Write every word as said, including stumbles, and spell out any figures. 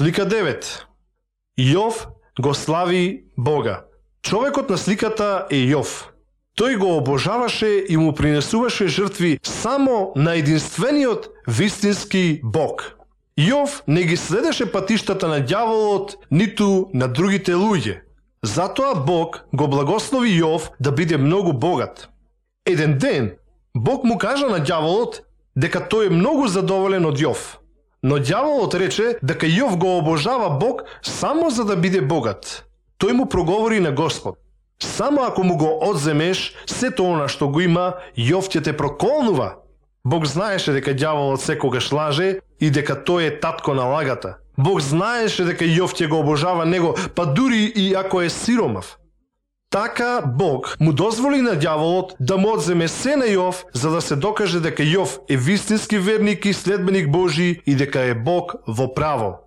Слика девет. Јов го слави Бога. Човекот на сликата е Јов. Тој го обожаваше и му принесуваше жртви само на единствениот вистински Бог. Јов не ги следеше патиштата на ѓаволот, ниту на другите луѓе. Затоа Бог го благослови Јов да биде многу богат. Еден ден Бог му кажа на ѓаволот дека тој е многу задоволен од Јов. Но ѓаволот рече дека Јов го обожава Бог само за да биде богат. Тој му проговори на Господ: само ако му го одземеш сето она што го има, Јов ќе те проколнува. Бог знаеше дека ѓаволот секогаш лаже и дека тој е татко на лагата. Бог знаеше дека Јов ќе го обожава него, па дури и ако е сиромав. Така Бог му дозволи на ѓаволот да му одземе се на Јов, за да се докаже дека Јов е вистински верник и следбеник Божи и дека е Бог во право.